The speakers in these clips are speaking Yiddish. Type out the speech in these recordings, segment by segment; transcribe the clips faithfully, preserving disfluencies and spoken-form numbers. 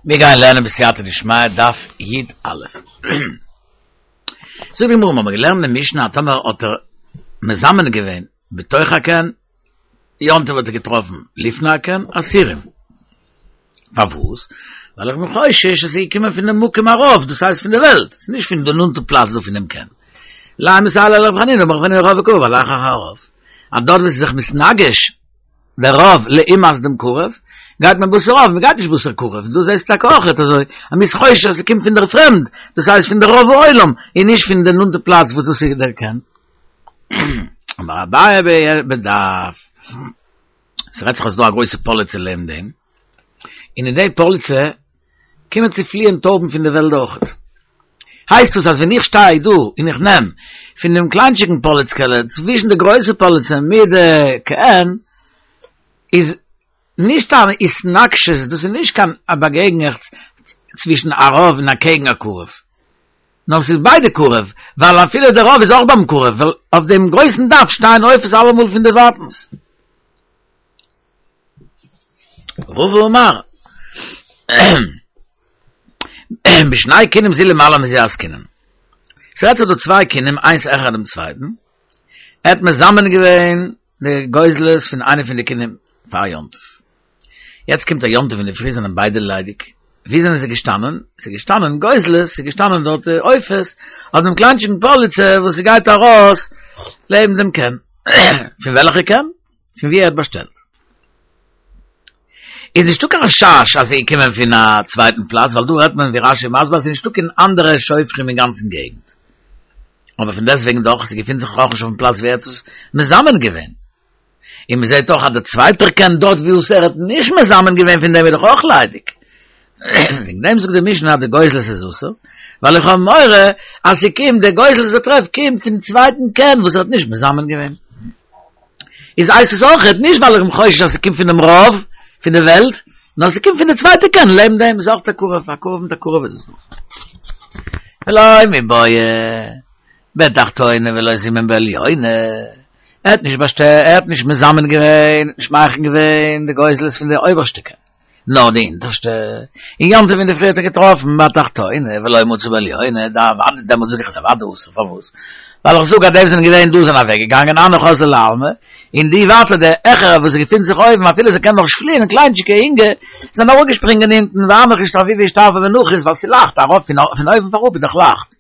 מיר גייען לערנען בסייעתא דשמיא דף י א. זאגט די גמרא, מ'האמיר געלערנט אין משנה אז טאמער האט ער מזמן געווען בתוך הקן, יום טוב האט ער געטראפן לפני הקן, אסורים. פארוואס? ווייל איך בין חושש אז ס'איז געקומען פון דעם מקום הרוב, דאס הייסט פון די וועלט, ס'איז נישט פון די נאנטע פלאץ דא פון דעם קן. לימא מסייע ליה לרבי חנינא, אמר רבי חנינא רוב וקרוב הולך אחר הרוב. אז דארט וואו ס'איז זיך מתנגש דער רוב לעומת דעם קרוב, גייט מען בתר רוב, מ'גייט נישט בתר קרוב, דא זעסטו טאקע אויכעט אזוי, אז מ'איז חושש אז ס'קומט פון דער פרעמד, דאס הייסט פון דער רוב העולם, און נישט פון די נאנטע פלאץ וואס דאס איז דער קן. אמר אביי בדף, ס'רעדט זיך אז ס'דא א גרויסע פאליצע לעבן דעם, און אין די פאליצע קומען צו פליען טויבן פון די וועלט אויכעט. הייסט דאס אז ווען איך שטיי דא און איך נעם פון דעם קליינטשיגן פאליצקעלע צווישן די גרויסע פאליצע מיט די קן, איז נישט א התנגשות, דאס איז נישט קיין א באגעגענעכץ צווישן א רוב און אקעגן א קרוב, נאר ס'איז ביידע קרוב, ווייל אפילו דער רוב איז אויך ביים קרוב, ווייל אויף דעם גרויסן דף שטייען עופות אלעמאל פון דערווייטנס. רבא אמר, בשני קינים זו למעלה מזו עסקינן. ס'רעדט זיך דא צוויי קינים איינס העכער דעם צווייטן, ער האט מזמן געווען די גוזלות פון איינע פון די קינים פאר יום טוב. יעצט קומט א יום טוב אינדערפרי זענען ביידע ליידיג, ווי זענען זיי געשטאנען? ס'איז געשטאנען גוזלות, ס'איז געשטאנען דארט עופות, אויף דעם קליינטשיגן פאליצע וואס ס'גייט ארויס לעבן דעם קן. פון וועלכע קן? פון ווי ער האט באשטעלט. איז נישטא קיין חשש אז ס'איז געקומען פון א צווייטן פלאץ, ווייל דא רעדט מען ווי רש י מסביר אז ס'איז נישטא קיין אנדערע שופכים אין גאנצן געגנט. אבער פון דעסטוועגן דאך, ס'געפינט זיך אויך נישט אויפן פלאץ ווי ער האט עס מזמן געווען. און מ'זעט אויך אז דער צווייטער קן דארט וואו עס ער האט נישט מזמן געווען פון דעם איז דאך אויך ליידיג. וועגן דעם זאגט די משנה אז די גוזלות איז אסור, ווייל איך האב מורא אז ס'קומט די גוזלות וואס ער טרעפט קומט פון צווייטן קן וואס ער האט נישט מזמן געווען. איז הייסט עס אויכעט נישט ווייל איך בין חושש אז ס'קומט פונעם רוב פון די וועלט, נאר ס'קומט פון די צווייטע קן לעבן דעם איז אויך א קרוב, א קרוב מיט א קרוב איז עס דא. ולא מיבעיא בתחתונה ולא זימן בעליונה, ער האט נישט באשטעלט, ער האט נישט מזמן געווען, נישט מכין געווען די גוזלות פון די אויבערשטע קן. נאר די אונטערשטע, און יום טוב אינדערפרי האט ער געטראפן בתחתונה ולא מצא בעליונה, דאוודאי דעמאלט זאג איך אז אוודאי אסור, פארוואס? ווייל איך זאג אז די וואס זענען געווען דא זענען אוועק געגאנגען הנך אזלו לעלמא, און די ווייטער די העכערע וואס געפינט זיך אויבן אפילו זיי קענען נאך נישט פליען קליינטשיגע אינגע זענען אראפגעשפרינגען אונטן והנך אשתרבובי אשתרפי ונחית ווייל ס'לייכט ארויף פון אויבן אויף אראפ איז דאך לייכט.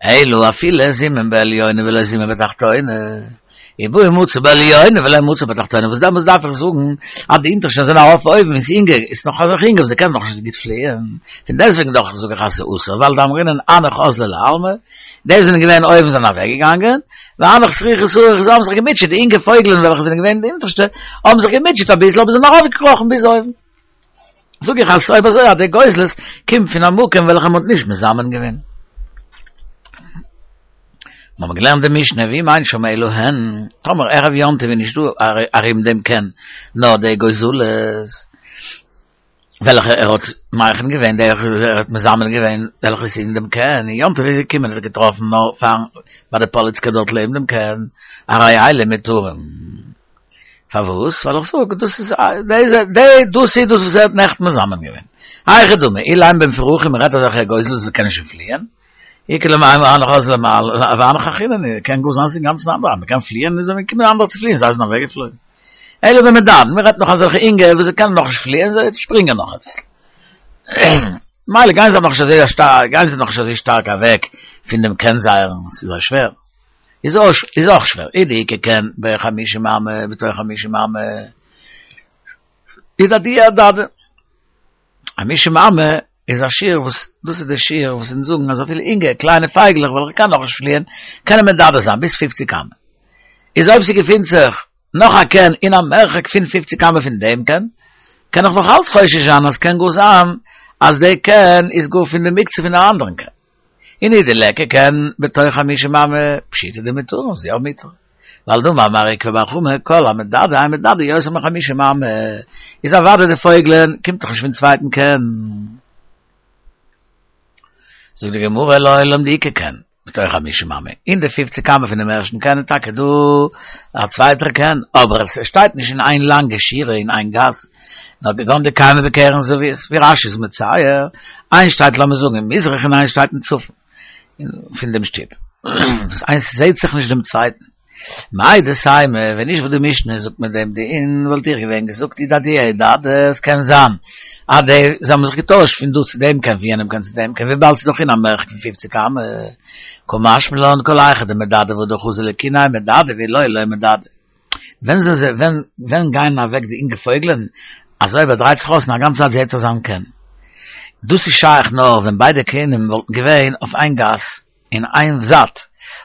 אלא אפילו זימן בעליונה ולא זימן בתחתונה, אי בעי מצא בעליונה ולא מצא בתחתונה, וואס דעמאלטס דארף איך זאגן אז די אונטערשטע זענען ארויף אויבן און ס'אינגע איז נאך אזעלכע אינגע וואס זיי קענען נאך נישט גוט פליען, פון דעסטוועגן דאך זאג איך אז ס'איז אסור ווייל דאמרינן הנך אזלו לעלמא, די וואס זענען געווען אויבן זענען אוועק געגאנגען, והנך סריכי סריכי זיי האבן זיך געמוטשעט, די אינגע פויגלען וועלכע זענען געווען די אונטערשטע האבן זיך געמוטשעט אביסל אבער זענען ארויפגעקראכן ביז אויבן. זאג איך אז אויב אזוי אז די גוזלות קומט פון א מקום וועלכע מ'האט נישט מזמן געווען. מיר האבן געלערנט די משנה ואם אין שם אלא הן, טאמער ערב יום טוב איז נישט דא ארום דעם קן נאר די גוזלות וועלכע ער האט מכין געווען, די ער האט מזמן געווען וועלכע איז אין דעם קן, און יום טוב איז געקומען האט ער געטראפן נאר פארן ביי די פאליצקע דארט לעבן דעם קן, הרי אלו מותרים. פארוואס? ווייל איך זאג, דאס איז די, דאס איז דאס וואס ער האט נעכטן מזמן געווען. היכי דמי, אילימא במפורכים, מ'רעדט אזעלכע גוזלות וואס קענען שוין פליען, איכא למימר הנך אזלו לעלמא והנך אחרינא, קען גאר זיין ס'איז אינגאנצן אנדערע, מ'קען פליען איז געקומען אנדערע צו פליען, זיי זענען אוועקגעפלויגן. אלא במדדין, מ'רעדט נאך אזעלכע אינגע וואס זיי קענען נאכנישט פליען, זיי שפרינגען נאך אביסל. מילא גייען זיי נאכנישט אזוי שטארק, גייען זיי נאכנישט אזוי שטארק אוועק פון דעם קן זייערן, ס'איז זיי שווער. איז אויך איז אויך שווער, אי דאיכא קן בחמישים אמה בתוך חמישים אמה איז אדויי אדדי. חמישים אמה איז א שיעור וואס דאס איז די שיעור וואס אונז זאגן אז אפילו אינגע קליינע פייגלעך וועלכע קענען נאכנישט פליען קענען מדדה זיין ביז פופציג אמה. איז אויב ס'געפינט זיך נאך א קן אין א מרחק פון פופציג אמה פון דעם קן, קען איך נאך אלץ חושש זיין אז קען גאר זיין אז די קן איז גאר פון די מוקצה פון א אנדערן קן. און אי דליכא קן בתוך חמישים אמה פשיטא דמותרין ס'איז יא מותר. ווייל דאמר מר עוקבא בר חמא כל המדדה אין מדדה יותר מחמישים אמה איז אוודאי די פויגלען קומט דאך נישט פון צווייטן קן. זאגט די גמרא לעולם דאיכא קן בתוך חמישים אמה אין די פופציג אמה פונעם ערשטן קן איז טאקע דא א צווייטער קן אבער עס שטייט נישט אין איין לאנגע שורה אין איין גאס נאר כגון דקיימא בקרן זווית, ווי רש"י איז מצייר, איינס שטייט לאמיר זאגן אין מזרח און איינס שטייט אין צפון, פון דעם שטוב. וואס איינס זעט זיך נישט דעם צווייטן. מהו דתימא, ווען נישט וואס די משנה זאגט מיט דעם דין, וואלט איך געווען געזאגט אי הדדי אהדדי, עס קען זיין אז די זיי האבן זיך געטוישט פון דא צו דעם קן פון יענעם קן צו דעם קן, וויבאלד ס'איז דאך אין א מרחק פון פופציג אמה. קא משמע לן כל היכא דמדדי והדר חזי לקיניה מדדי ואי לא לא מדדי. ווען זענען זיי ווען ווען גייען אוועק די אינגע פויגלען אז אויב ער דרייט זיך אויס און א גאנצע צייט זעהט ער זיין קן. דאס איז שייך נאר ווען ביידע קנים וואלטן געווען אויף איין גאס אין איין זייט,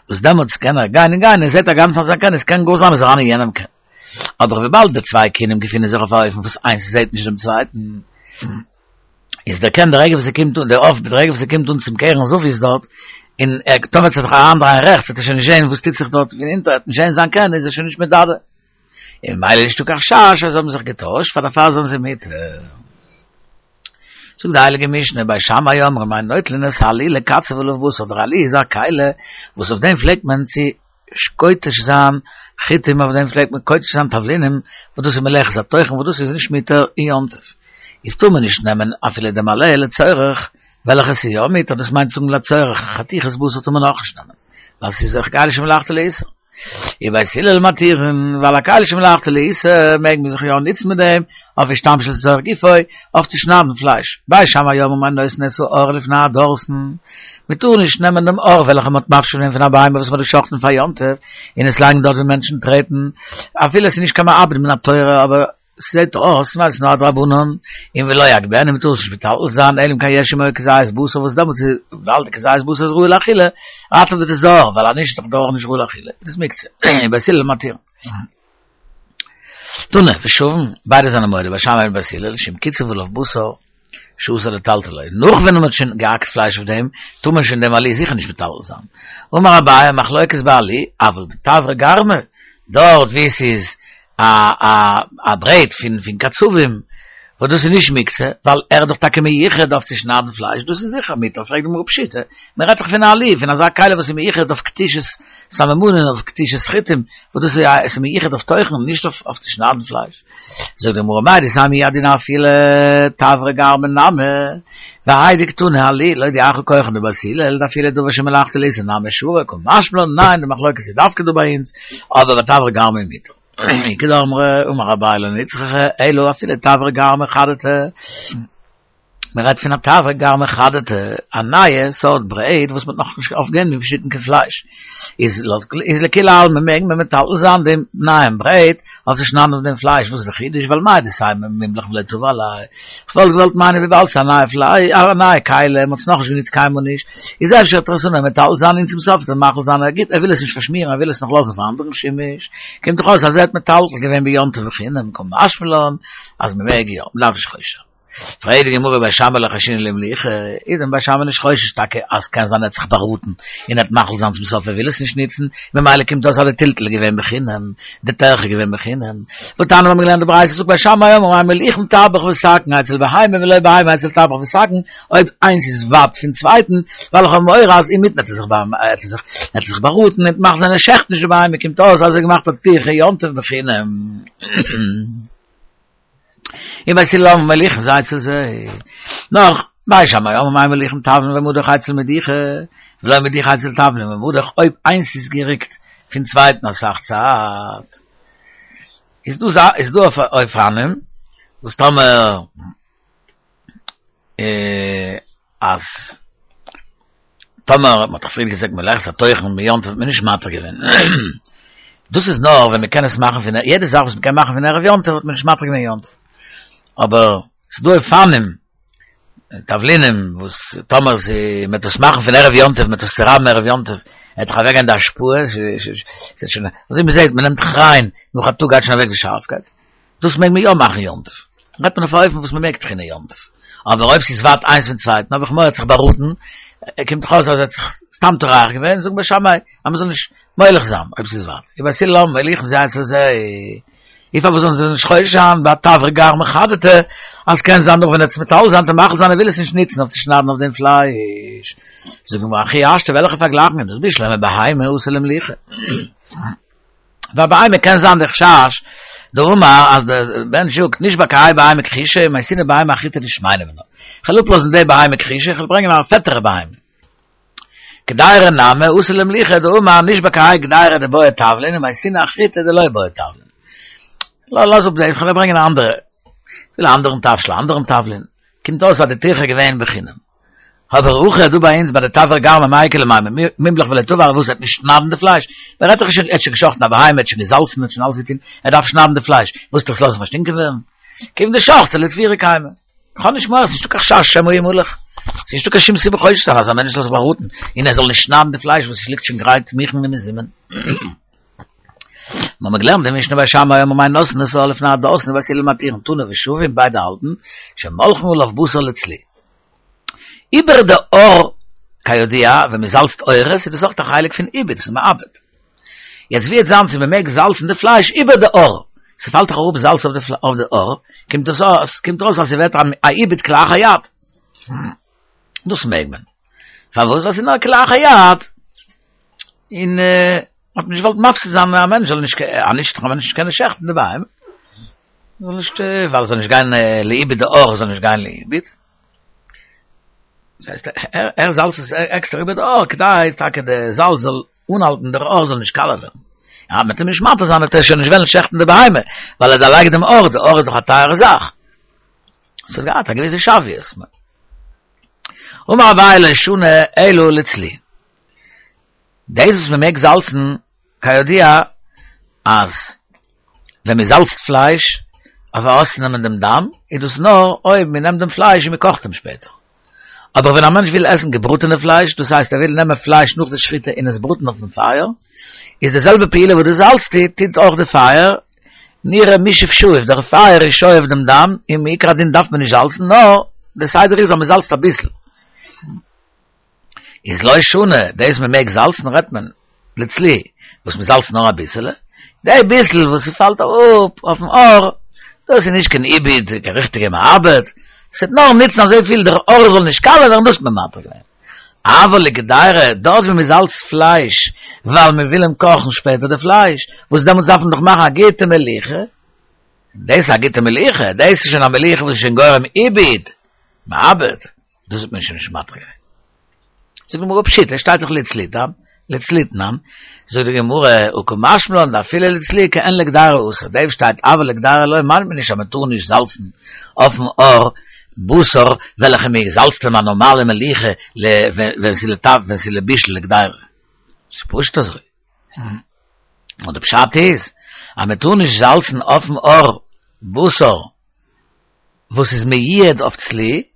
וואס דעמאלטס קען ער גיין און גיין און זעהט א גאנצע צייט זיין קן, עס קען גאר זיין אז ער איז אריין אין יענעם קן. אבער וויבאלד די צוויי קינים געפינען זיך אויף א אופן וואס איינס זעהט נישט דעם צווייטן, איז דער קן די רגע וואס ער קומט אן, דער עוף די רגע וואס ער קומט אן צום קרן זווית דארט, און ער טאמער וועט זיך אריינדרייען רעכטס וועט ער שוין נישט זעהן וואס טוט זיך דארט פון אונטער, ער וועט נישט זעהן זיין קן איז ער שוין נישט מדדה. און ממילא איז נישטא קיין חשש אז זיי האבן זיך געטוישט, פאר דערפאר זענען זיי מותר. זאגט די הייליגע משנה, בית שמאי אומרים אין נוטלין את העלי לקצב עליו בשר, דער עלי איז א כלי וואס אויף דעם פלעגט מען צו כותש זיין חיטים, אויף דעם פלעגט מען כותש זיין תבלינים, וואס דאס איז מלאכת הטוחן, וואס דאס איז נישט מותר אין יום טוב, איז טאר מען נישט נעמען אפילו דעם עלה לצורך וועלכע ס'איז יא מותר, דאס מיינט זאגן לצורך חתיכת בשר טאר מען אויך נישט נעמען, ווייל ס'איז דאך כלי שמלאכתו לאיסור. ובית הלל מתירין, ווייל א כלי שמלאכתו לאיסור מעג מען זיך יא נוצן מיט דעם, אויף השתמש לצורך גופו, אויף צו שניידן פלייש. בית שמאי אומרים אין נושאין את העור לפני הדורסן, מען טאר נישט נעמען דעם עור וועלכע מען האט מפשט געווען פון א בהמה וואס מען האט געשחטן פאר יום טוב, און עס לייגן דארט ווי מענטשן טרעטן, אפילו עס איז נישט קיין מעבד מן התורה, אבער ס'זעט אויס ווייל ס'איז נאר א דרבנן, און ולא יגביהנו מ'טאר עס נישט מטלטל זיין, אלא אם כן יש עמו כזית בשר וואס דעמאלטס איז ווייל די כזית בשר איז ראוי לאכילה, ראטעוועט עס די עור, ווייל אז נישט איז דאך די עור נישט ראוי לאכילה, איז עס מוקצה, ובית הלל מתירין. תנא, ושוין, ביידע זענען מודה, בית שמאי און בית הלל, שאם קיצב עליו בשר, שאסור לטלטלו, נאך ווען מ'האט שוין געהאקט פלייש אויף דעם, טאר מען שוין דעם עלי זיכער נישט מטלטל זיין. אמר אביי, מחלוקת בעלי, אבל בתברא גרמא, דארט וואו ס'איז א א א ברעט פון פון קצבים, וואס דאס איז נישט מוקצה, ווייל ער איז דאך טאקע מיוחד אויף צו שניידן פלייש, דאס איז זיכער מותר, פרעגט די גמרא פשיטא, מען רעדט דאך פון א עלי, פון אזא כלי וואס איז מיוחד אויף כתישת סממנים, אויף כתישת חיטים, וואס דאס איז א עס איז מיוחד אויף טוחן, נישט אויף אויף צו שניידן פלייש. זאגט די גמרא מהו דתימא הוא הדין אפילו תברא גרמא נמי, והאי דקתני עלי, להודיעך כחן דבית הלל, דאפילו דבר שמלאכתו לאיסור נמי שרי, קא משמע לן, ניין, די מחלוקת איז דווקא דא ביי אונז, אבער בתברא גרמא מותר. איכא דאמרי, אמר אביי לא נצרכא, אלא אפילו תברא גרמא חדתא. מען רעדט פון א תברא גרמא חדתא, א נייע סארט ברעט וואס מען האט נאכנישט אויף דעם געשניטן קיין פלייש, איז איז לכולי עלמא מעג מען מטלטל זיין דעם נייעם ברעט אויף צו שניידן אויף דעם פלייש, וואס איז די חידוש ווייל מהו דתימא מימלך ולא תבע עליה, כ'וואלט געוואלט מיינען וויבאלד ס'איז א נייע פלייש א נייע כלי, מען האט עס נאכנישט גענוצט קיינמאל נישט, איז אפשר וועט ער עס אנהייבן מטלטל זיין און צום סוף וועט ער מחליט זיין אז גוט ער וויל עס נישט פארשמירן ער וויל עס נאך לאזן פאר אנדערן שימוש, קומט דאך אויס אז ער האט מטלטל געווען ביום טוב בחינם, קא משמע לן אז מען מעג יא, מען דארף נישט חושש זיין. פרעגט די גמרא בית שמאי לא חיישינן לאימלוכי, איז דען בית שמאי נישט חושש טאקע אז קען זיין ער האט זיך באראטן און ער וועט מחליט זיין צום סוף ער וויל עס נישט ניצן, ממילא קומט אויס אז די טלטול איז געווען בחינם, די טרחה איז געווען בחינם. והתניא מיר האבן געלערנט די ברייתא זאגט בית שמאי אומרים אין מוליכין טבח וסכין אצל בהמה ולא בהמה אצל טבח וסכין, אויב איינס איז ווייט פון צווייטן, ווייל איך האב מורא אז אינמיטן וועט ער זיך וועט ער זיך וועט ער זיך באראטן און מחליט זיין ער שעכט נישט די בהמה קומט אויס אז ער האט געמאכט א טירחה יום טוב בחינם. ובית הלל אומרים מוליכין זה אצל זה. נאך, בית שמאי אומרים אין מוליכין תבלין ומדוך אצל מדיחה, ולא מדיחה אצל תבלין ומדוך, אויב איינס איז געריקט פון צווייטן אסאך צייט, איז דא איז דא אופנים וואס טאמער אז טאמער מ'האט דאך פריער געזאגט מלאכת הטוחן ביום טוב האט מען נישט מתיר געווען, דאס איז נאר ווען מ'קען עס מאכן פון יעדע זאך וואס מ'קען מאכן פון ערב יום טוב האט מען נישט מתיר געווען יום טוב, אבער ס'איז דא אופנים תבלינים וואס טאמער מ'וועט עס מאכן פון ערב יום טוב מ'וועט עס צורייבן ערב יום טוב וועט דאך אוועקגיין די השפעה, אזוי מ'זעט מ'נעמט כריין נאך א טאג גייט שוין אוועק די שארפקייט. דאס מעג מען יא מאכן יום טוב. רעדט מען אויף א אופן וואס מען מעג טחינען יום טוב. אבער אויב ס'איז ווייט איינס פון צווייטן האב איך מורא ער האט זיך באראטן, קומט דאך אויס אז ער האט זיך סתם טורח געווען, זאגט בית שמאי אז מ'זאל נישט מוליך זיין אויב ס'איז ווייט. ובית הלל אומרים מוליכין זה אצל זה. און פארוואס זאלן זיי נישט חושש זיין ביי תברא גרמא חדתא אז קען זיין נאך ווען ער וועט עס מטלטל זיין וועט ער מחליט זיין ער וויל עס נישט נוצן אויף צו שניידן אויף דעם פלייש. זאגט די גמרא הכי השתא וועלכע פארגלייכן איז דאס בשלמא בהמה אתי לאימלוכי. ביי בהמה קען זיין די חשש דאמר, אז דער בן שוק נישט באקיי בהמה כחישה, מייסינע בהמה אחיתא נישט מיינע מנו. איך will אפלאזן די בהמה כחישה, איך will ברענגען א פעטערע בהמה. כדאי נאמע, אוסל למליכה, דאמר נישט באקיי כדאי דה בוי טאוולין, מייסינע אחיתא דה לא בוי טאוולין. לא, לאז אפ, איך will ברענגען א אנדערע. Ich will anderen Tafschel, anderen Taflin. Kommt aus, hat die Tiche gewähnt beginnen. Aber auch du bei uns, bei der Tafel gar mit Michael, mit Mimblach will er tun, wo es hat nicht schnabende Fleisch. Wer hat doch schon, hat schon geschochten, aber heim, hat schon gesalzen, hat schon alles getan, er darf schnabende Fleisch. Wo ist doch los, was stinken werden? Kim der Schocht, er vier Keime. Kann nicht mehr, es ist doch kein Schasch, schau mal, Mulach. Es ist doch kein Schimm, sieben Chäusch, also ein Mensch, lass mal ruten. In er soll nicht schnabende Fleisch, wo es liegt schon gereit, mich mit dem Simmen. Man hat gelernt, wenn ich nur bei Schamai immer mein Nossen, das soll auf nach draußen, was sie limitieren, tun, wir schufen beide halten, שמולכן הוא auf Busser לצלי. Über der Ohr, כיודע, wenn man salzt Eures, ist das auch der Heilig von Ibid, das ist Ma'abed. Jetzt wird sagen, sie bemerkt salzen de Fleisch über der Ohr. Sie fällt doch auf Salz auf der auf der Ohr, kommt das aus, kommt raus, als sie wird am Ibid klar hayat. Das merkt man. Verwus, was in der klar hayat, in, äh, hat nicht wollt mafse sein, ein Mensch soll nicht, äh, nicht, ein Mensch keine Schächten dabei. Soll nicht, weil soll nicht gehen, äh, liebe der Ohr, soll nicht gehen, liebe. Das heißt, er, er salzt es extra über der Ohr, kdai, tage der Salz soll unhalten, der Ohr soll nicht kaller werden. Ja, mit dem Schmatter sein, er schon nicht wollen schächten der Beheime, weil er da lag dem Ohr, der Ohr ist doch eine teure Sache. So geht, da gewisse Schafi ist. Um aber le schune elu litzli. Das ist mir meg salzen, כיודע, אז wenn mir salzt Fleisch, aber ausnehmen dem Damm, ist es nur, oi, wir nehmen dem Fleisch und wir kochen dem später. Aber wenn ein Mensch will essen gebrutene Fleisch, das heißt, er will nehmen Fleisch nur die Schritte in das Bruten auf dem Feuer, ist derselbe Pile, wo du salzt, tint auch der Feuer, nire mischef schuif, der Feuer ist scheu auf dem Damm, im Ikradin darf man nicht salzen, no, der Seider ist, aber man salzt ein bisschen. Ist loi schune, der ist mir mehr gesalzen, rett man, letztlich, was man salzt noch ein bisschen, der bisschen, wo sie fällt auf, auf dem Ohr, das ist nicht kein Ibid, kein richtige Arbeit, es hat noch nichts noch so viel, der Ohr soll nicht kallen, dann muss man matter sein. Aber le gedeire, dort wie man salzt Fleisch, weil man will ihm kochen später der Fleisch, wo es damals davon doch machen, geht dem Eliche, das geht dem Eliche, das ist schon am Eliche, wo es schon gorem Ibid, Ma'abed, das ist mir schon nicht matter sein. Sag mir, ob shit, er steht doch letztlich da, letztlich nam, so die Gemurre, u kumashmlon, da viele letztlich, kein legdare us, der steht, aber legdare loi, man bin ich am tun nicht salzen, auf dem Ohr, Busser, welche mir gesalzt man normale Meliche, le, wenn sie le Taf, wenn sie le Bischl, legdare. Das pusht das so. Und der Pschat ist, am tun nicht salzen auf dem Ohr, Busser, wo es ist mir jed auf Zli,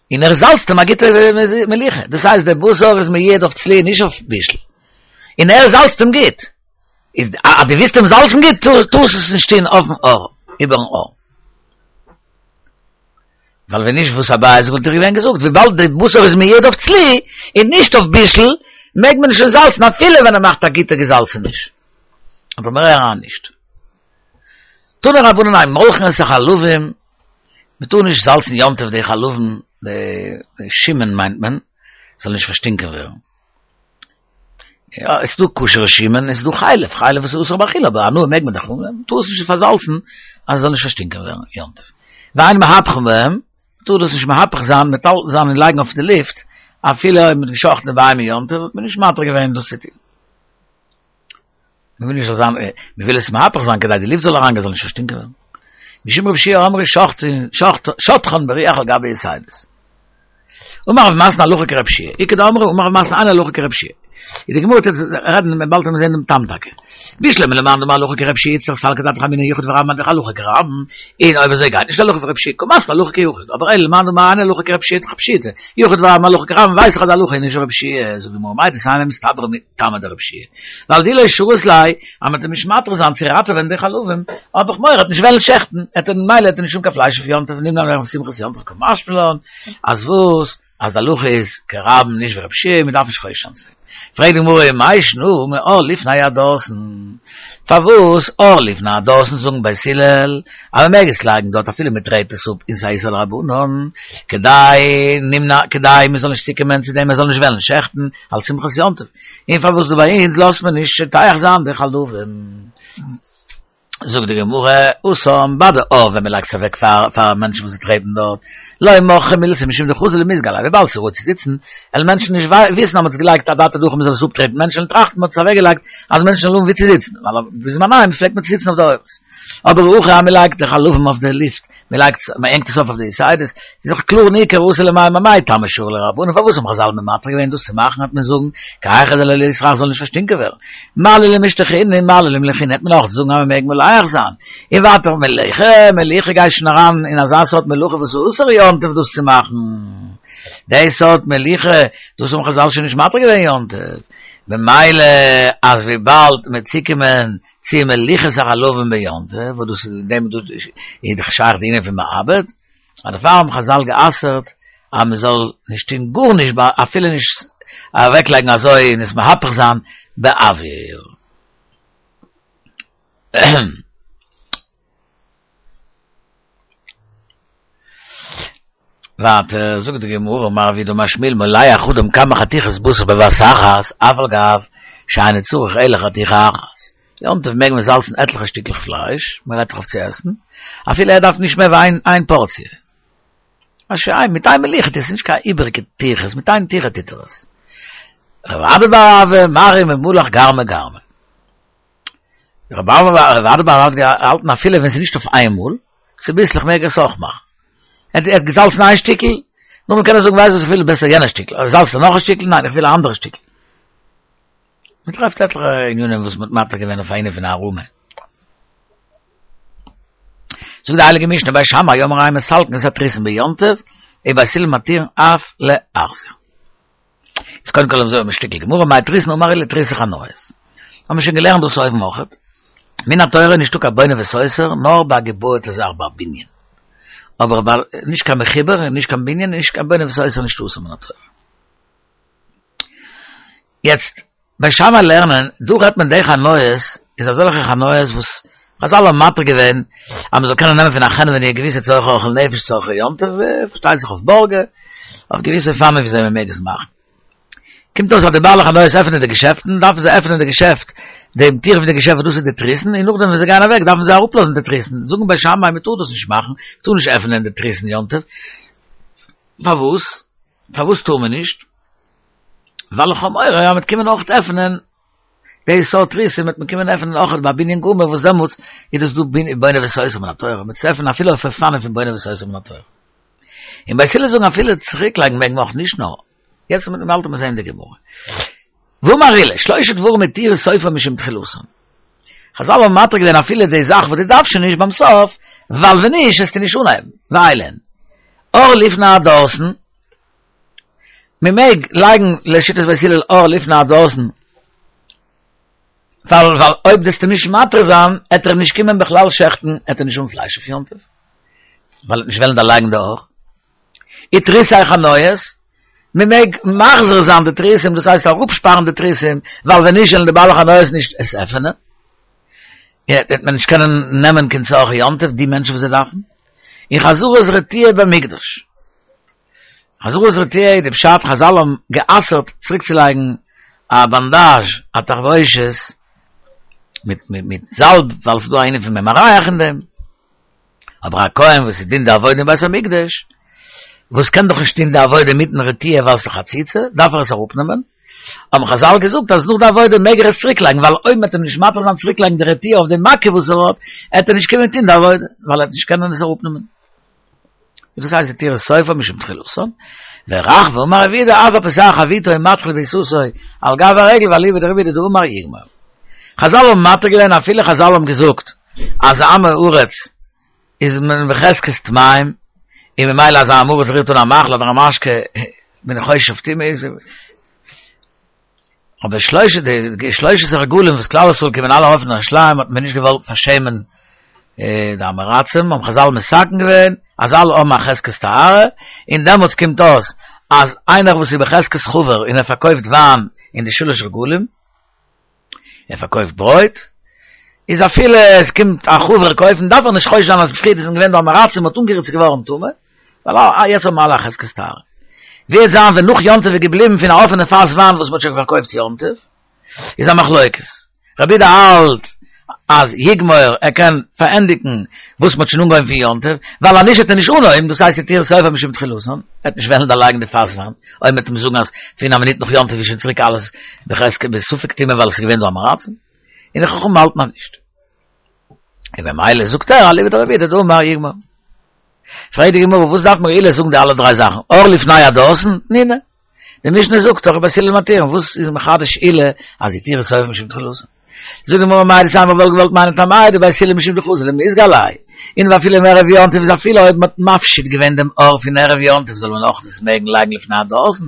in er salzt, man geht Meliche. Das heißt, der Busser ist mir jed auf Zli, nicht auf Bischl. In er salzt ihm geht. Ist, a, die wisst, dem Salzen geht, tu, tu es nicht stehen auf dem Ohr, über dem Ohr. Weil wenn nicht, wo es aber ist, wird er gesagt, wie bald der Busser ist mir jed auf Zli, und nicht auf Bischl, mag man schon salzen, na viele, wenn er macht, da geht er gesalzen nicht. Aber mehr er nicht. Tun er Rabunen ein Molchen, es Chaluvim, wir tun nicht salzen, Jontef, die Chaluvim, die, die Schimmen, meint man, soll nicht verstinken werden. Ja, es du kuschere Schimmen, es du Chailef, Chailef ist usra Bachil, aber nur mag man doch, tu es nicht versalzen, also soll nicht verstinken werden, Jontef. Wein mahapchen wir, tu das nicht mahapchen sein, mit all sein liegen auf der Lift, a viele mit geschochten bei mir Jontef, bin ich mater gewesen, das ist Wir will nicht so sagen, wir will es mahapchen sein, kedai die Lift soll rangehen, soll nicht verstinken werden. Mishum Rav Shia Amri schocht schocht schottchen beriach al gabe Yisaides. Umar Rav Masna luche Rav Shia. Ich ked Amri Umar Rav Masna ana luche Rav Shia. Ich denke, jetzt reden wir bald am sehen dem Tamtag. Bishle mit dem anderen luche Rav Shia, jetzt sal kedat Ramine Yichud v'Ram man luche Ram. In oibe ze geit. Nicht luche Rav Shia, komm mal luche Yichud. Aber el man ma ana luche Rav Shia, Rav Shia. Yichud v'Ram luche Ram, weiß grad luche nicht Rav Shia, so wie mo meit, das haben wir mit Tam der Rav Shia. Weil die le Schuslei, am mit dem Schmatter san zirate wenn de Chaluvim, aber ich moir hat nicht wel schechten, et ein Meile hat nicht schon kein Fleisch für Jontef, nimm dann Simchas Jontef komm Aschpelon, as wus, as der Luche ist, Keraben nicht Rav Shia, mit darf ich sein. Fragt die Gemara, mei shnu, me or lifna ya dosen. Favus, or lifna dosen, zogen bei Silel, aber mehr geschlagen dort, viele mit Reite Sub in Saisel Rabunon, kedai, nimna, kedai, mir soll nicht sticke Menschen, dem, mir soll nicht wollen, schächten, als Simchas Jontef. In Favus, du bei uns, los man nicht, teich san, der Chaluvim. זאגט די גמרא, התם ביי די עור ווען מ'לייגט עס אוועק פאר פאר מענטשן וואס טרעטן דארט, לא מוכחא מילתא משום דחזו למיזגא עליה, וויבאלד ס'איז ראוי צו זיצן, וועלן מענטשן נישט וויסן אז מ'האט עס געלייגט אדעתא דהכי מ'זאל עס אפטרעטן, מענטשן וועלן טראכטן מ'האט עס אוועקגעלייגט אז מענטשן זאלן האבן וואו צו זיצן, ווייל בזמניהם פלעגט מען צו זיצן אויף די עורות. אבער הכא אז מ'לייגט די חלבים אויף די לופט, מ'לייגט מ'הענגט עס אויף אויף די יתדות, איז דאך קלאר ניכר אתי למימר מאי טעמא שרו ליה רבנן, פארוואס האבן חזל מתיר געווען דאס צו מאכן וועט מען זאגן כי היכי דלא ליסרח זאל נישט פארשטינקען ווערן, מה לי למשתחינהו מה לי למלחינהו העט מען אויך זאגן אז מ'מעג מלח זיין, און ווייטער מליחה, מליחה גייט שוין אריין אין אזא סארט מלאכה וואס איז אסור יום טוב דאס צו מאכן, די סארט מליחה דאס האבן חזל שוין נישט מתיר געווען יום טוב, במילא אז וויבאלד מ'עט צוקומען צו מליחת החלבים ביום טוב, וואס דאס איז אין דעם איז דאך שייך די ענין פון מעבד, אז דערפאר האבן חזל גע'אסר'ט אז מען זאל נישט טון גארנישט אפילו נישט אוועקלייגן אזוי און עס מהפך זיין באוויר. ווייטער זאגט די גמרא אמר רב יהודה אמר שמואל מולח אדם כמה חתיכות בשר בבת אחת אף על גב שאינו צריך אלא חתיכה אחת. יום טוב מעג מען זאלצן עטליכע שטיקלעך פלייש, מען רעדט דאך אויף צו עסן, אפילו ער דארף נישט מער ווי איין פארציע. מיט איין מליחה טוט עס נישט קיין איבעריגע טירחות, מיט איין טירחה טוט ער עס. רב אדא בר אהבה מרי ממלח גרמא גרמא. רב אדא בר אהבה האט געהאלטן אפילו ווען ס'איז נישט אויף איינמאל, צוביסלעך מעג ער עס אויך מאכן. ער האט געזאלצן איין שטיקל, נאכדעם קען ער זאגן ווייסט וואס איך וויל בעסער יענע שטיקל, אדער זאלצט ער נאך א שטיקל, ניין איך וויל א אנדערע שטיקל. מען טרעפט עטליכע ענינים וואס מען האט מתיר געווען אויף ענין פון הערמה. זאגט די הייליגע משנה בית שמאי אומרים אין מסלקין את התריסין ביום טוב, ובית הלל מתירין אף להחזיר. איז קודם כל אזוי א שטיקל גמרא מאי תריסין אמר עולא תריסי חנויות. האבן מיר שוין געלערנט דאס אויבן אויכעט. מן התורה נישטא קיין בונה וסותר נאר ביי א געבויעטע זאך ביי א בנין. אבער ביי נישט קיין מחובר און נישט קיין בנין און נישט קיין בונה וסותר נישט אסור מן התורה. יעצט בית שמאי לערנען, דא רעדט מען די חנויות איז אזעלכע חנויות וואס חזל האבן מתיר געווען אז מ'זאל קענען נעמען פון א חנווני געוויסע צורכי אוכל נפש צורכי יום טוב, פארשטייט זיך אויף בארגע, אויף געוויסע אופנים וויאזוי מ'מעג עס מאכן. קומט אויס אז די בעלי חנויות עפענען די געשעפטן, דארפן זיי עפענען די געשעפט, דעם טיר פון די געשעפט וואס דאס איז די תריסין, און נאכדעם ווען זיי גייען אוועק דארפן זיי אראפלאזן די תריסין, זאגן בית שמאי מ'טאר דאס נישט מאכן, מ'טאר נישט עפענען די תריסין יום טוב, פארוואס? פארוואס טאר מען נישט? ווייל איך האב מורא אז מ'וועט קומען אויך עפענען די סארט תריסים וועט מען קומען עפענען אויך ביי בנין גמור וואס דעמאלטס איז דאס דא בונה וסותר מן התורה, מ'וועט עס עפענען אפילו אויף אופנים פון בונה וסותר מן התורה. און בית הלל זאגן אפילו צוריקלייגן מעג מען אויך נישט נאר יעצט וועט מען באלד זען די גמרא. ואמר עולא, שלושה דברים התירו סופן משום תחילתן. חזל האבן מתיר געווען אפילו די זאך וואס דו דארפסט שוין נישט ביים סוף, ווייל ווען נישט וועסטו נישט אנהייבן, ואלו הן. עור לפני הדורסן, מען מעג לייגן לשיטת בית הלל עור לפני הדורסן, ווייל ווייל אויב וועסטו נישט מתיר זיין, עט ער נישט קומען בכלל שעכטן, עט ער נישט האבן פלייש אויף יום טוב, ווייל ער וועט נישט וועלן דערלייגן די עור. ותריסי חנויות, מען מעג מחזיר זיין די תריסים, דאס הייסט אראפשפארן די תריסים, ווייל ווען נישט וועלן די בעלי חנויות נישט עס עפענען, וועט מען נישט קענען נעמען קיין צרכי יום טוב די מענטשן וואס זיי דארפן. און חזרת רטיה במקדש. חזרת רטיה איז די פשט, חזל האבן גע'אסר'ט צוריקצולייגן א באנדאזש, א תחבושת, מיט מיט זאלב, ווייל ס'איז דא א ענין פון מי מריח אין דעם. אבער א כהן וואס איז טוט די עבודה אין בית המקדש, וואס קען דאך נישט טון די עבודה מיטן רטיה ווייל ס'איז חציצה, דארף ער עס אראפנעמען, האבן חזל געזאגט אז נאך די עבודה מעג ער עס צוריקלייגן, ווייל אויב מ'עט אים נישט מתיר זיין צוריקלייגן די רטיה אויף די מכה וואס ער האט, עט ער נישט קומען טון די עבודה, ווייל ער עט נישט קענען עס אראפנעמען. דאס הייסט התירו סופן משום תחילתן, ורחבה אמר רב יהודה אף הפותח חביתו ומתחיל בעיסתו על גב הרגל ואליבא דרב יהודה דאמר יגמור. חזל האבן מתיר געווען אפילו חזל האבן געזאגט אז עם הארץ איז מען בחזקת טמאים און ממילא אז א עם הארץ רירט אן א מאכל אדער א משקה בין איך חושש אויף טומאה אבער שלושה די שלושת הרגלים וואס כלל ישראל קומען אלע ארויף אין ירושלים האט מען נישט געוואלט פארשעמען די עם הארצים האבן חזל מתקן געווען אז אלע האבן א חזקת טהרה און דעמאלטס קומט אויס אז איינער וואס איז בחזקת חבר און ער פארקויפט וויין אין די שלש רגלים ער פארקויפט ברויט איז אפילו עס קומט א חבר קויפן דארף ער נישט חושש זיין אז פריער איז געווען דא עם הארצים האט אנגערירט ס'איז געווארן טמא ווייל יעצט האבן אלע א חזקת טהרה. ווי וועט זיין ווען נאך יום טוב איז געבליבן פון א אפענע פאס וויין וואס מ'האט שוין פארקויפט יום טוב? איז א מחלוקת. רבי יהודה האלט אז יגמור, ער קען פארענדיגן וואס מ'האט שוין אנגעהויבן פון יום טוב, ווייל אז נישט וועט ער נישט אנהויבן, דאס הייסט התירו סופו משום תחילתן, ער וועט נישט וועלן דערלייגן די פאס וויין, אויב מ'וועט אים זאגן אז פון א מינוט נאך יום טוב איז שוין צוריק אלעס בחזקת בספק טומאה ווייל עס איז געווען דא עם הארצים, און די חכמים האלטן אז נישט. און במילא זאגט ער אליבא דרבי יהודה דאמר יגמור. פרעגט די גמרא וואס דארף מיר עולא זאגן די אלע דריי זאכן, עור לפני הדורסן, תנינא. די משנה זאגט דאך בית הלל מתירין, וואס איז מחדש עולא אז התירו סופו משום תחילתן? זאגט די גמרא מהו דתימא וואלט געוואלט מיינען טעמייהו דבית הלל משום דחזי למיזגא עלייהו, און ואפילו מערב יום טוב איז אפילו אויב מ'האט מפשיט געווען דעם עור פון ערב יום טוב זאל מען אויך דאס מעגן לייגן לפני הדורסן,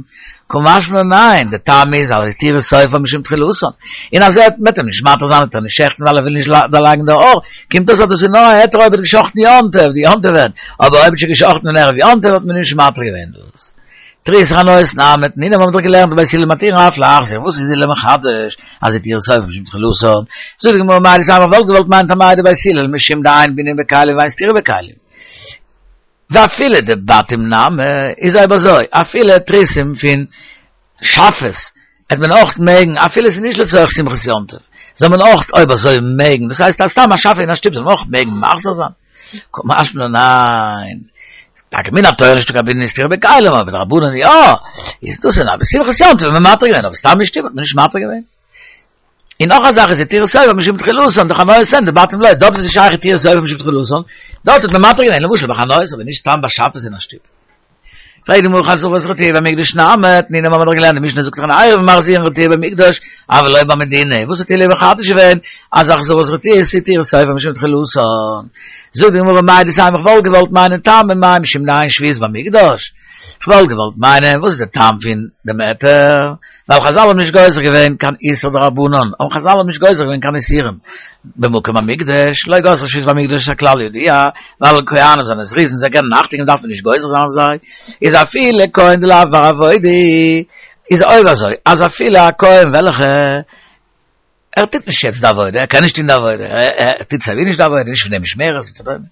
קא משמע לן ניין, די טעם איז אז התירו סופו משום תחילתן, און אז ער וועט אים נישט מתיר זיין וועט ער נישט שעכטן ווייל ער וויל נישט דערלייגן די עור, קומט אויס אז דאס איז נאר א היתר אויב ער האט געשאכטן יום טוב, די יום טוב ווען, אבער אויב האט שוין געשאכטן אין ערב יום טוב האט מען נישט מתיר געווען דאס. תריסר הנאות נמי תנינא האבן מיר דאך געלערנט בית הלל מתירין אף להחזיר, וואס איז עולא מחדש אז התירו סופו משום תחילתן? זאגט די גמרא מהו דתימא וואלט געוואלט מיינען טעמייהו דבית הלל משום דאין בנין בכלים ואין סתירה בכלים. ואפילו דבתים נמי איז אויב אזוי אפילו תריסים פון שאפעס העט מען אויך מעגן אפילו עס איז נישט לצורך שמחת יום טוב זאל מען אויך אויב אזוי מעגן דאס הייסט אז סתם א שאפע אין א שטוב זאל מען אויך מעגן מחזיר זיין קא משמע לן ניין טאקע מן התורה נישטא קיין בנין וסתירה בכלים אבער מדרבנן יא איז דאס אין א שמחת יום טוב האט מען מתיר געווען אבער סתם אין שטוב האט מען נישט מתיר געווען און נאך א זאך איז התירו סופו משום תחילתן דחנויות אין דבתים לא דארט איז שייך התירו סופו משום תחילתן דארט האט מען מתיר געווען למשל ביי חנויות אבער נישט סתם ביי שאפעס אין א שטוב פרעגט די גמרא חזרת רטיה במקדש נמי תנינא האבן מיר דאך געלערנט די משנה זאגט דאך אין עירובין מחזירין רטיה במקדש אבל לא במדינה וואס האט עולא מחדש געווען אז החזרת רטיה איז התירו סופו משום תחילתן זאגט די גמרא מהו דתימא איך וואלט געוואלט מיינען טעמא מאי משום דאין שבות במקדש כ'וואלט געוואלט מיינען וואס איז די טעם פון דעם היתר, ווייל חזל האבן נישט גוזר געווען קיין איסור דרבנן, האבן חזל האבן נישט גוזר געווען קיין איסורים במקום המקדש, לא גזרו שבות במקדש הכלל ידוע, ווייל כהנים זענען זריזין זיי קענען אכטונג געבן דארף מען נישט גוזר זיין אויף זיי, איז אפילו כהן דלאו בר עבודה, איז אויב אזוי אז אפילו א כהן וועלכע ער טוט נישט יעצט די עבודה, ער קען נישט טון די עבודה, ער טוט סייווי נישט די עבודה, נישט פון די משמרת וכדומה.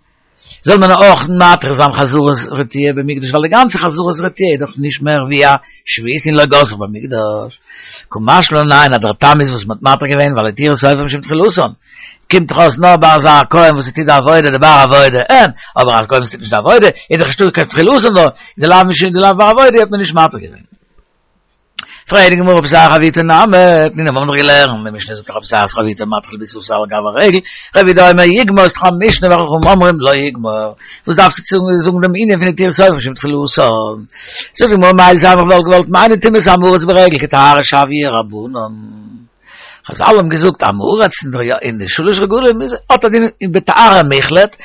זאל מען אויך מתיר זיין חזרת רטיה במקדש, ווייל די גאנצע חזרת רטיה איז דאך נישט מער ווי א שבות און לא גזרו במקדש. קא משמע לן ניין אז דער טעם איז וואס מען האט מתיר געווען ווייל התירו סופו משום תחילתן. קומט דאך אויס נאר ביי אזא כהן וואס ער טוט די עבודה דבר עבודה אין, אבער א כהן וואס טוט נישט די עבודה איז דאך נישטא קיין תחילתן דא, דלאו משום דלאו בר עבודה האט מען נישט מתיר געווען. פרעגט די גמרא פותח חביתו נמי, תנינא האבן מיר דאך געלערנט, די משנה זאגט דאך הפותח את חביתו מתחיל בעיסתה על גב הרגל, רבי יהודה אומר יגמור איז דאך א משנה וחכמים אומרים לא יגמור, וואס דארפסטו צו זאגן דעם ענין פון התירו סופו משום תחילתן? זאגט די גמרא מהו דתימא איך וואלט געוואלט מיינען טומאת עם הארץ ברגל כטהרה שויה רבנן. חזל האבן געזאגט עם הארץ אין די שלש רגלים איז האט א דין בטהרה מוחלט,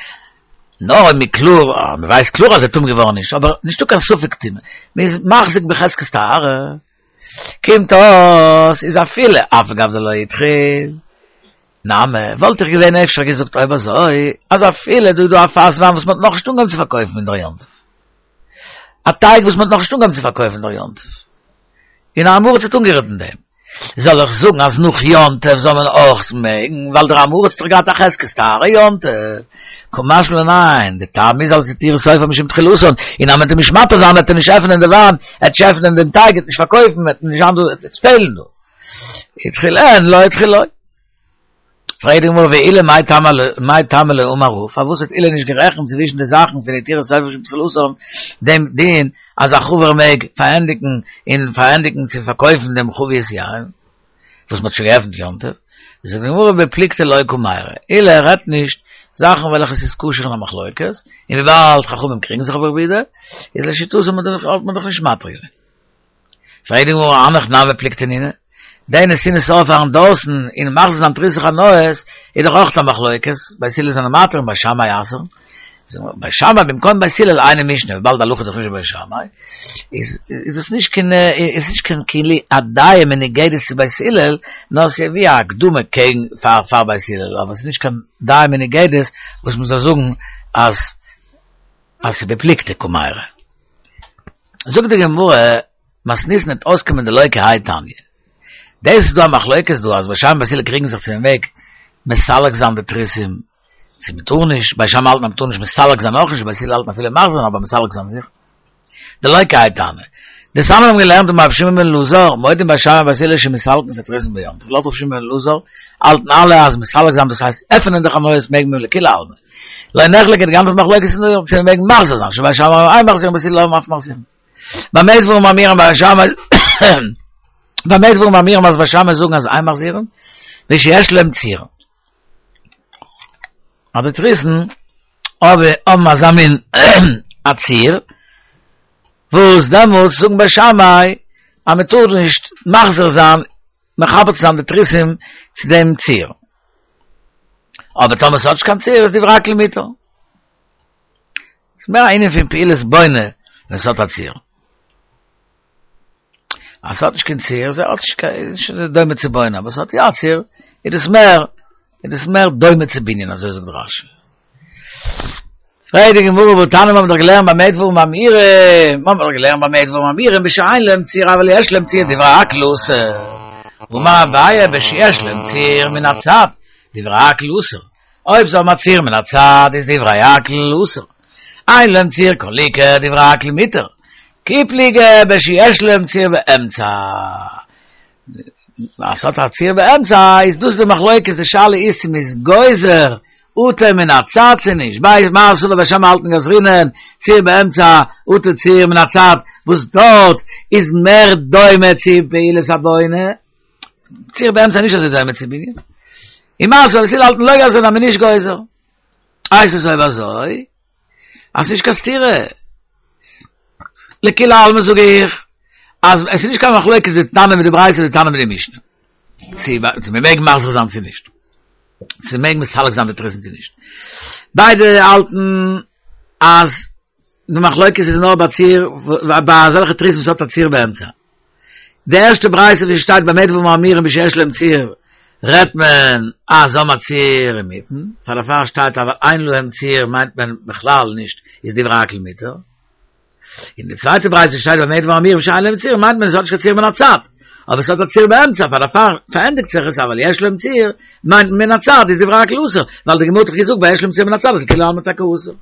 נאר אויב מ'איז קלאר, מ'ווייסט קלאר אז ער טמא געווארן נישט, אבער נישטא קיין ספק טומאה, מ'איז מחזיק בחזקת טהרה, קומט אויס איז אפילו אף על גב דלא התחיל, נמי, וואלט איך געווען אפשר געזאגט אויב אזוי, אז אפילו דא איז דא א פאס וויין וואס מ'האט נאכנישט אנגעהויבן צו פארקויפן אין דער יום טוב, א טייג וואס מ'האט נאכנישט אנגעהויבן צו פארקויפן אין דער יום טוב, און א עם הארץ האט אנגערירט אין דעם. זאל איך זאגן אז נאך יום טוב זאל מען אויך מעגן, ווייל דער עם הארץ האט דאך געהאט א חזקת טהרה יום טוב? קא משמע לן ניין, די טעם איז אלס התירו סופו משום תחילתן, און אז מען וועט אים נישט מתיר זיין וועט ער נישט עפענען די וויין, ער וועט נישט עפענען דעם טייג, ער וועט נישט פארקויפן, וועט נישט זיין דא, עס וועט פעלן דא. התחיל אין, לא התחיל לא. פרעגט די גמרא ועולא מאי טעמא מאי טעמא לא אמר הא, פארוואס האט עולא נישט גערעכנט צווישן די זאכן פון התירו סופו משום תחילתן דעם דין אז א חבר מעג פארענדיגן און פארענדיגן צו פארקויפן דעם חבית יין וואס מ'האט שוין געעפנט יום טוב, זאגט די גמרא בפלוגתא לא קמיירי, עולא רעדט נישט זאכן וועלכע ס'איז כשר אין א מחלוקת, און וויבאלד חכמים קריגן זיך אויף רבי יהודה, איז לשיטתו האט מען דאך נישט מתיר געווען. פרעגט די גמרא הנך נמי פלוגתא נינהו, די נתינת עור פארן דורסן און מחזיר זיין תריסר חנויות איז דאך אויך א מחלוקת, בית הלל זענען מתיר און בית שמאי אסר'ן, בית שמאי במקום בית הלל אינה משנה, וויבאלד די הלכה איז דאך נישט ווי בית שמאי, איז איז דאס נישט קיין איז נישט קיין כאילו א דעה מנוגדת צו בית הלל, נאר ס'איז ווי א הקדמה קעגן פאר פאר בית הלל, אבער ס'איז נישט קיין דעה מנוגדת וואס מ'זאל זאגן אז אז ס'איז בפלוגתא קמיירי. זאגט די גמרא, מתניתין וועט אויסקומען דלא כהאי תניא. דאס איז דא א מחלוקת דא אז בית שמאי בית הלל קריגן זיך צו מען מעג מסלק זיין די תריסים צו מען טאר נישט, בית שמאי האלטן אז מען טאר נישט מסלק זיין אויך נישט, בית הלל האלטן אפילו מחזיר זיין אבער מסלק זיין זיכער. דלא כהאי תניא. דאס האבן מיר געלערנט אין רב שמעון בן אלעזר, מודים בית שמאי ובית הלל שמסלקין את התריסין ביום טוב. לויט רב שמעון בן אלעזר, האלטן אלע אז מסלק זיין, דאס הייסט עפענען די חנויות מעג מען לכולי עלמא. לא נחלקו, די גאנצע מחלוקת איז נאר צו מעג מחזיר זיין, שבית שמאי אין מחזירין ובית הלל אף מחזירין. במה דברים אמורים בית שמאי במה דברים אמורים אז בית שמאי זאגן אז אין מחזירין, בשיש להם ציר. אבער תריסין אבער האבן אזא מין א ציר, וואס דעמאלטס זאגן בית שמאי אז מען טאר נישט מחזיר זיין, מחבר צו זיין די תריסים צו דעם ציר. אבער טאמער ס'האט נישט קיין ציר איז דברי הכל מותר. ס'איז מער א ענין פון פעולת בונה ווען ס'האט א ציר. אז ס'האט נישט קיין ציר, איז האט נישט קיין, איז נישט דומה צו בונה, אבער ס'האט יא א ציר, איז דאס מער, איז דאס מער דומה צו בנין, אזוי זאגט רש"י. פרעגט די גמרא, והתניא מ'האבן דאך געלערנט במה דברים אמורים, מ'האבן דאך געלערנט במה דברים אמורים, בשאין להם ציר אבל יש להם ציר דברי הכל אסור. אמר אביי בשיש להם ציר מן הצד, דברי הכל אסור. אויב זיי האבן א ציר מן הצד איז דברי הכל אסור. אין להם ציר כל עיקר דברי הכל מותר. כי פליגי בשיש להם ציר באמצע. אז ס'האט א ציר באמצע איז דאס די מחלוקת, די שאלה איז צו מ'איז גוזר אטו מן הצד צו נישט, ביי מר סבר בית שמאי האלטן גזרינן ציר באמצע אטו ציר מן הצד, וואס דארט איז מער דומה צו פעולת הבונה, ציר באמצע איז נישט אזוי דומה צו בנין, און מר סבר בית הלל האלטן לא גזרינן אז מ'איז נישט גוזר. הייסט עס אויב אזוי אז ס'נישט קיין סתירה. לכולי עלמא זאג איך אז עס איז נישט קיין מחלוקת די תנא מיט די ברייתא די תנא מיט די משנה. צו צו מען מעג מחזיר זיין צו נישט. צו מעג מסלק זיין די תריסין צו נישט. ביידע האלטן אז די מחלוקת איז נאר ביי ציר ביי אזעלכע תריסין וואס האט א ציר באמצע. די ערשטע ברייתא ווי שטייט במה דברים אמורים בשיש להם ציר רעדט מען אז זיי האבן א ציר אינמיטן, פאר דערפאר שטייט אבל אין להם ציר מיינט מען בכלל נישט איז דברי הכל מותר. אין די צווייטע ברייתא שטייט במה דברים אמורים בשאין להם ציר מיינט מען עס האט נישט קיין ציר מן הצד, אבער עס האט א ציר באמצע, פאר דערפאר פארענדיגט זיך עס אבל יש להם ציר מיינט מען מן הצד איז דברי הכל אסור, ווייל די גמרא האט דאך געזאגט ביי יש להם ציר מן הצד איז לכולי עלמא טאקע אסור.